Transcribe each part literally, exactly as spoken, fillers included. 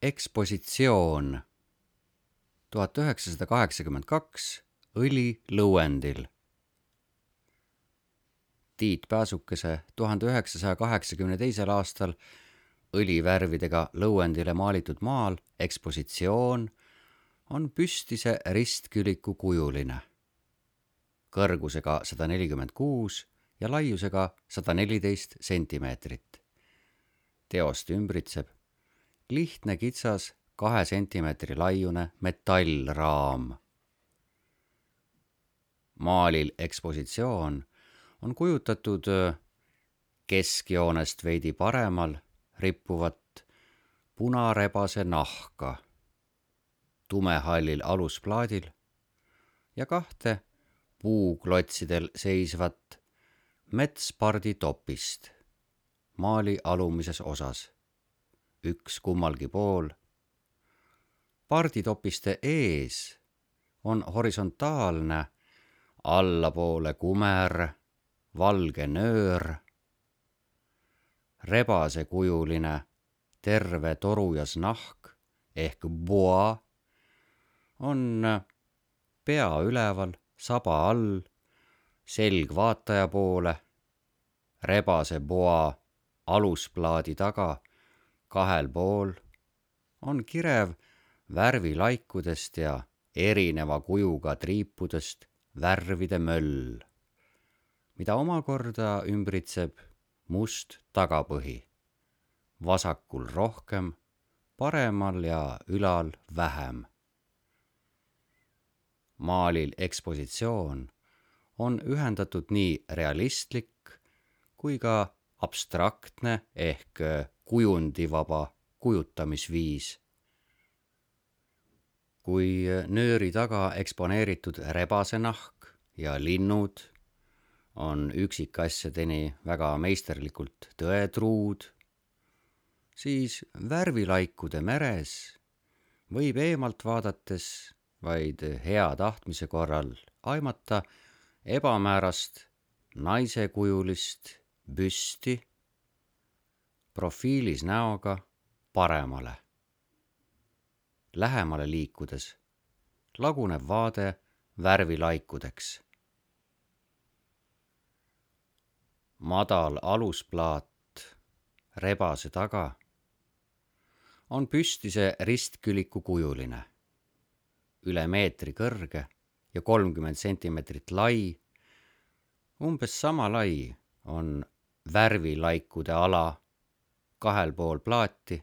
Ekspositsioon tuhat üheksasada kaheksakümmend kaks õli lõuendil. Tiit Pääsukese tuhande üheksasaja kaheksakümne teisel aastal õlivärvidega lõuendile maalitud maal Ekspositsioon on püstise ristküliku kujuline, kõrgusega sada nelikümmend kuus ja laiusega sada neliteist sentimeetrit. Teost ümbritseb lihtne kitsas kahe sentimeetri laiune metallraam. Maalil Ekspositsioon on kujutatud keskjoonest veidi paremal rippuvat punarebase nahka tumehallil alusplaadil ja kahte puuklotsidel seisvat metspardi topist maali alumises osas, üks kummalgi pool. Parditopiste ees on horisontaalne allapoole kumer, valge nöör, rebasekujuline terve torujas nahk ehk boa on pea üleval, saba all, selg vaataja poole, rebase boa alusplaadi taga kahel pool on kirev värvilaikudest ja erineva kujuga triipudest värvide möll, mida omakorda ümbritseb must tagapõhi, vasakul rohkem, paremal ja ülal vähem. Maalil Ekspositsioon on ühendatud nii realistlik kui ka abstraktne ehk kujundivaba kujutamisviis. Kui nööri taga eksponeeritud rebasenahk ja linnud on üksikasjadeni väga meisterlikult tõetruud, siis värvilaikude meres võib eemalt vaadates vaid hea tahtmise korral aimata ebamäärast naisekujulist büsti profiilis näoga paremale. Lähemale liikudes laguneb vaade värvilaikudeks. Madal alusplaat rebase taga on püstise ristküliku kujuline, üle meetri kõrge ja kolmkümmend sentimeetrit lai. Umbes sama lai on värvilaikude ala kahel pool plaati.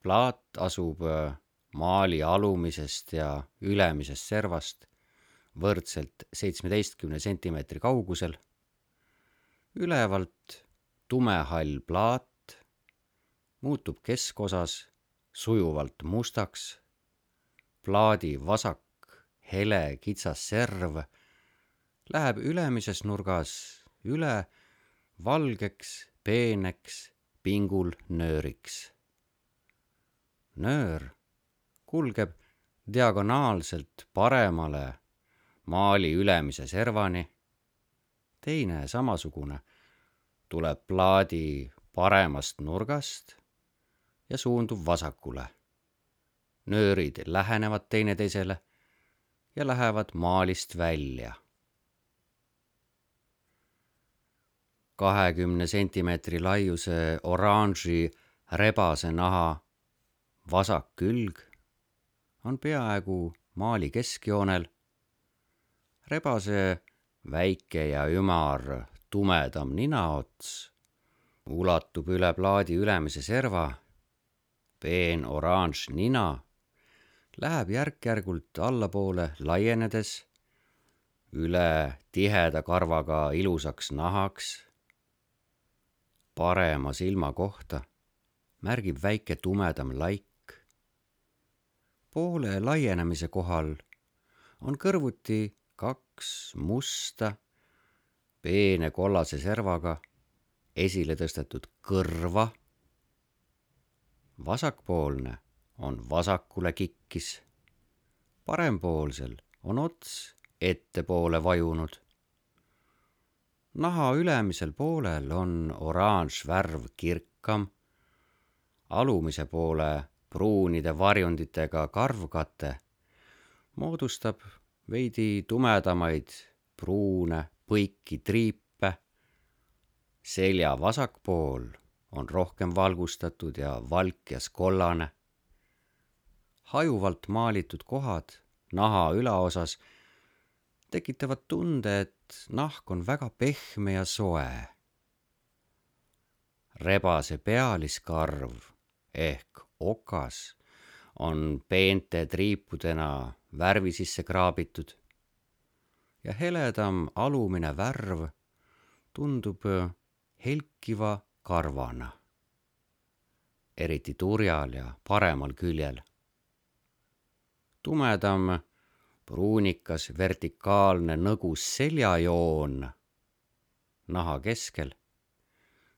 Plaat asub maali alumisest ja ülemisest servast võrdselt seitsmeteistkümne sentimeetri kaugusel. Ülevalt tumehall plaat muutub keskosas sujuvalt mustaks. Plaadi vasak hele kitsas serv läheb ülemises nurgas üle valgeks, peeneks pingul nööriks. Nöör kulgeb diagonaalselt paremale maali ülemise servani. Teine samasugune tuleb plaadi paremast nurgast ja suundub vasakule. Nöörid lähenevad teineteisele ja lähevad maalist välja. kahekümne sentimeetri laiuse oranži rebase naha vasak külg on peaaegu maali keskjoonel. Rebase väike ja ümar tumedam ninaots ulatub üle plaadi ülemise serva. Peen oranž nina läheb järk-järgult allapoole laienedes üle tiheda karvaga ilusaks nahaks. Parema silma kohta märgib väike tumedam laik. Poole laienemise kohal on kõrvuti kaks musta, peene kollase servaga esile tõstetud kõrva. Vasakpoolne on vasakule kikkis. Parempoolsel on ots ettepoole vajunud. Naha ülemisel poolel on oranž värv kirkam, alumise poole pruunide varjunditega karvkate moodustab veidi tumedamaid pruune põiki triipe. Selja vasak pool on rohkem valgustatud ja valkjas kollane. Hajuvalt maalitud kohad naha ülaosas tekitavad tunde, et nahk on väga pehme ja soe. Rebase pealiskarv ehk okas on peente triipudena värvi sisse kraabitud ja heledam alumine värv tundub helkiva karvana, eriti turjal ja paremal küljel. Tumedam pruunikas vertikaalne nõgus seljajoon naha keskel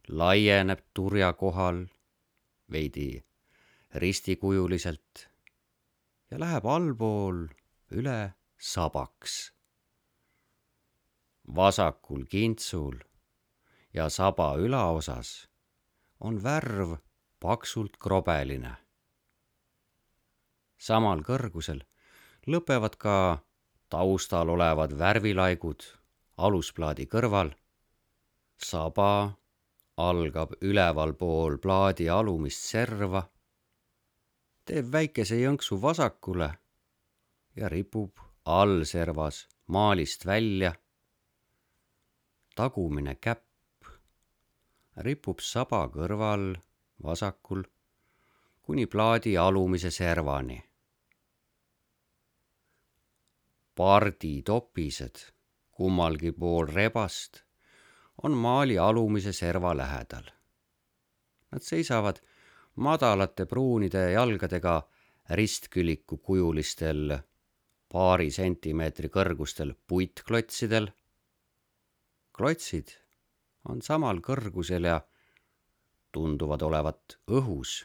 laieneb turja kohal veidi ristikujuliselt ja läheb allpool üle sabaks. Vasakul kintsul ja saba ülaosas on värv paksult krobeline. Samal kõrgusel lõpevad ka taustal olevad värvilaigud alusplaadi kõrval. Saba algab ülevalpool plaadi alumist serva, teeb väikese jõnksu vasakule ja ripub allservas maalist välja. Tagumine käpp ripub saba kõrval vasakul kuni plaadi alumise servani. Parditopised kummalgi pool rebast on maali alumise serva lähedal. Nad seisavad madalate pruunide jalgadega ristküliku kujulistel paari sentimeetri kõrgustel puitklotsidel. Klotsid on samal kõrgusel ja tunduvad olevat õhus.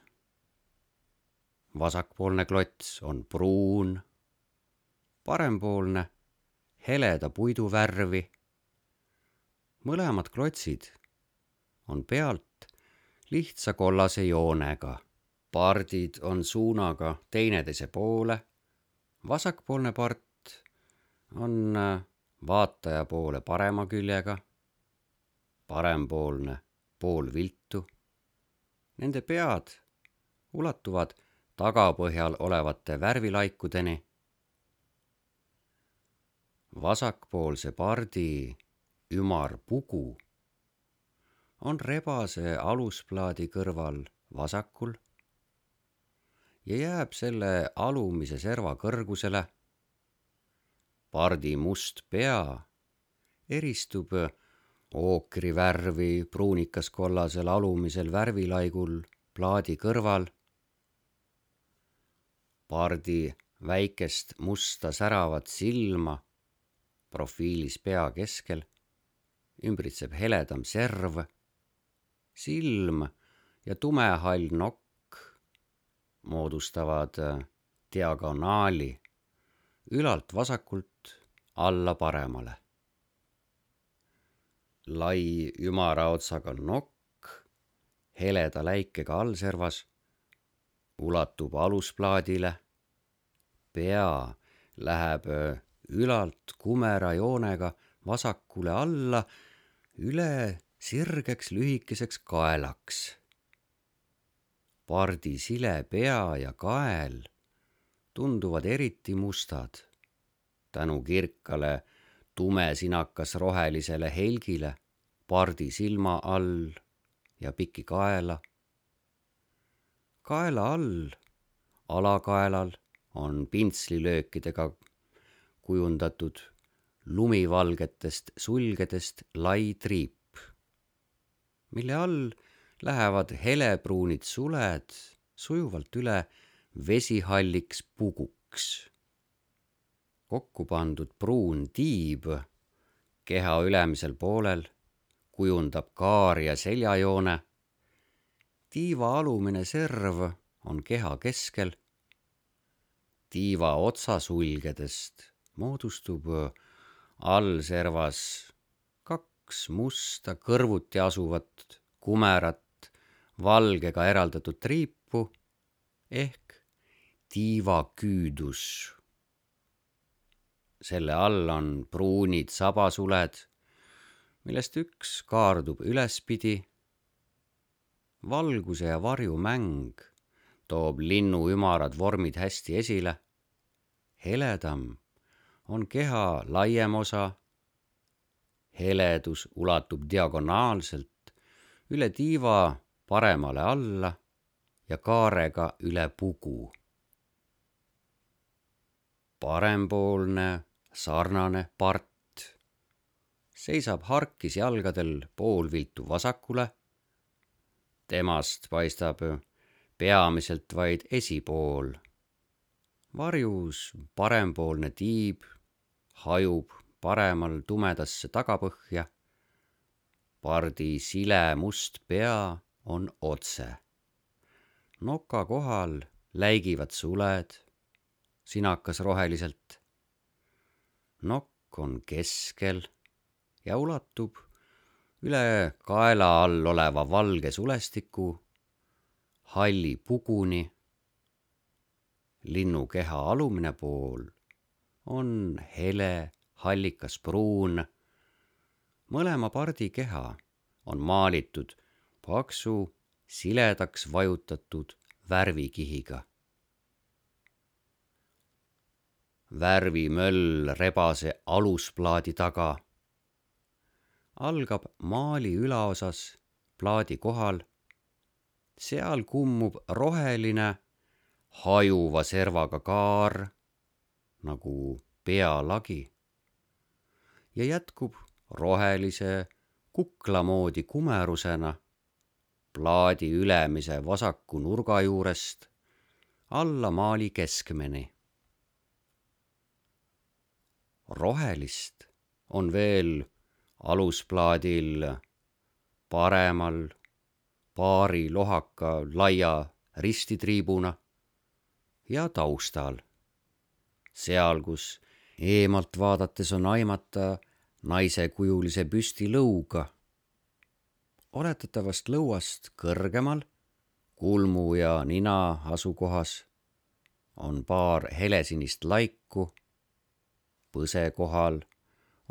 Vasakpoolne klots on pruun, parempoolne heleda puidu värvi. Mõlemad klotsid on pealt lihtsa kollase joonega. Pardid on suunaga teineteise poole. Vasakpoolne part on vaataja poole parema küljega, parempoolne pool viltu. Nende pead ulatuvad tagapõhjal olevate värvilaikudeni. Vasakpoolse pardi ümar pugu on rebase alusplaadi kõrval vasakul ja jääb selle alumise serva kõrgusele. Pardi must pea eristub ookrivärvi pruunikas kollasel alumisel värvilaigul plaadi kõrval. Pardi väikest musta säravat silma profiilis pea keskel ümbritseb heledam serv. Silm ja tumehall nokk moodustavad diagonaali ülalt vasakult alla paremale. Lai ümaraotsaga nokk heleda läikega allservas ulatub alusplaadile. Pea läheb ülalt kumera joonega vasakule alla üle sirgeks lühikeseks kaelaks. Pardi sile pea ja kael tunduvad eriti mustad tänu kirkale tumesinakas rohelisele helgile pardi silma all ja piki kaela. Kaela all, alakaelal on pintslilöökidega kujundatud lumivalgetest sulgedest lai triip, mille all lähevad helepruunid suled sujuvalt üle vesihalliks puguks. Kokku pandud pruun tiib keha ülemisel poolel kujundab kaar- ja seljajoone. Tiiva alumine serv on keha keskel. Tiiva otsasulgedest moodustub allservas kaks musta kõrvuti asuvat kumerat valgega eraldatud triipi. tippu ehk tiivaküüdus. Selle all on pruunid sabasuled, millest üks kaardub ülespidi. Valguse ja varju mäng toob linnu ümarad vormid hästi esile. Heledam on keha laiem osa. Heledus ulatub diagonaalselt üle tiiva paremale alla ja kaarega üle pugu. Parempoolne sarnane part seisab harkis jalgadel poolviltu vasakule. Temast paistab peamiselt vaid esipool. Varjus parempoolne tiib hajub paremal tumedasse tagapõhja. Pardi sile must pea on otse. Noka kohal läigivad suled, sinakas roheliselt. Nokk on keskel ja ulatub üle kaela all oleva valge sulestiku halli puguni. Linnu keha alumine pool on hele hallikas pruun. Mõlema pardi keha on maalitud paksu siledaks vajutatud värvikihiga. Värvimöll rebase alusplaadi taga algab maali ülaosas plaadi kohal. Seal kummub roheline hajuva servaga kaar nagu pealagi ja jätkub rohelise kuklamoodi kumerusena plaadi ülemise vasaku nurga juurest alla maali keskmeni. Rohelist on veel alusplaadil paremal paari lohaka laia ristitriibuna ja taustal. Seal, kus eemalt vaadates on aimata naisekujulise püsti lõuga. Oletatavast lõuast kõrgemal, kulmu ja nina asukohas, on paar helesinist laiku. Põse kohal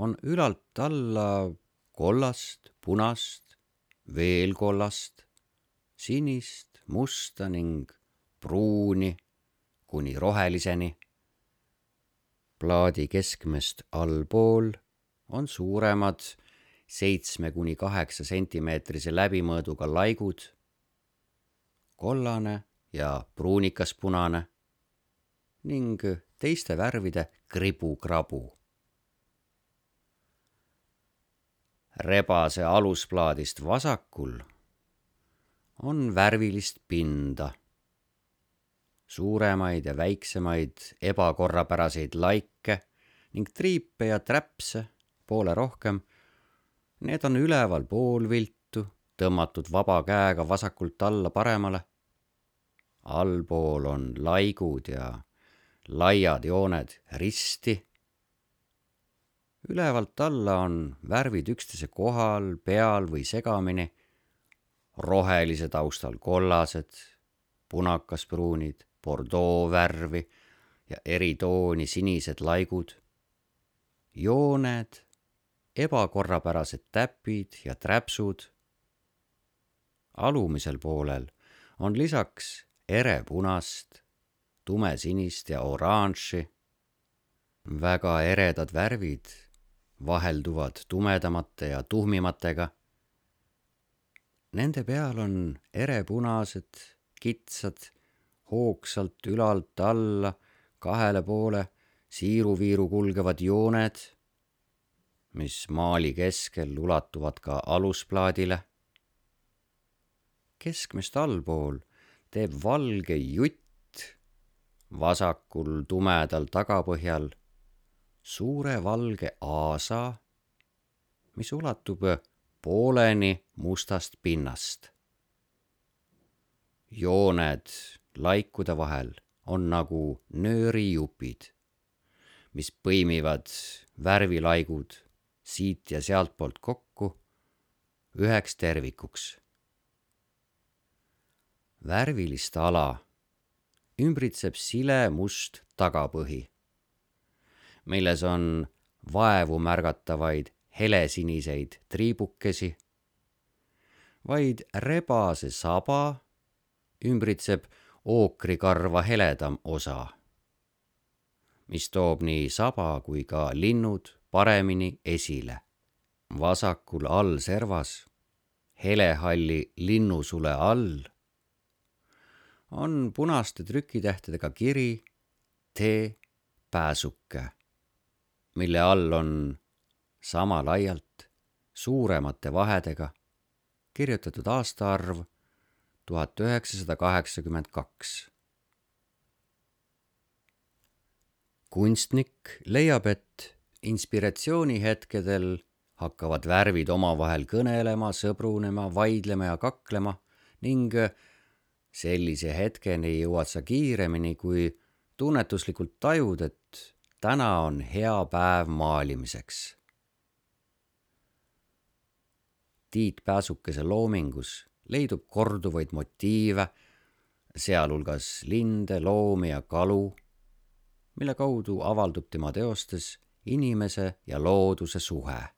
on ülalt alla kollast, punast, veel kollast, sinist, musta ning pruuni kuni roheliseni. Plaadi keskmest allpool on suuremad seitsme kuni kaheksa sentimeetrise läbimõõduga laigud, kollane ja pruunikas punane ning teiste värvide kribu-krabu. Rebase alusplaadist vasakul on värvilist pinda. Suuremaid ja väiksemaid ebakorrapäraseid laike ning triipe ja träpse poole rohkem. Need on üleval poolviltu, tõmmatud vaba käega vasakult alla paremale. Allpool on laigud ja laiad jooned risti. Ülevalt alla on värvid üksteise kohal, peal või segamini. Rohelise taustal kollased, punakaspruunid, bordeaux värvi ja eri tooni sinised laigud. Jooned, ebakorrapärased täpid ja träpsud. Alumisel poolel on lisaks erepunast, tumesinist ja oranži. Väga eredad värvid vahelduvad tumedamate ja tuhmimatega. Nende peal on erepunased, kitsad, hoogsalt ülalt alla kahele poole siiruviiru kulgevad jooned, mis maali keskel ulatuvad ka alusplaadile. Keskmest allpool teeb valge jutt vasakul tumedal tagapõhjal suure valge aasa, mis ulatub pooleni mustast pinnast. Jooned laikude vahel on nagu nöörijupid, mis põimivad värvilaigud siit ja sealtpoolt kokku üheks tervikuks. värvilist ala ümbritseb sile must tagapõhi, milles on vaevu märgatavaid helesiniseid triibukesi, vaid rebase saba ümbritseb ookrikarva heledam osa, mis toob nii saba kui ka linnud paremini esile. Vasakul all servas, helehalli linnusule all, on punaste trükitähtedega kiri Tee pääsuke, mille all on sama laialt suuremate vahedega kirjutatud aastaarv tuhat üheksasada kaheksakümmend kaks. Kunstnik leiab, et inspiratsioonihetkedel hakkavad värvid omavahel kõnelema, sõbrunema, vaidlema ja kaklema ning sellise hetkeni jõuad sa kiiremini, kui tunnetuslikult tajud, et täna on hea päev maalimiseks. Tiit Pääsukese loomingus leidub korduvaid motiive, sealhulgas linde, loomi ja kalu, mille kaudu avaldub tema teostes inimese ja looduse suhe.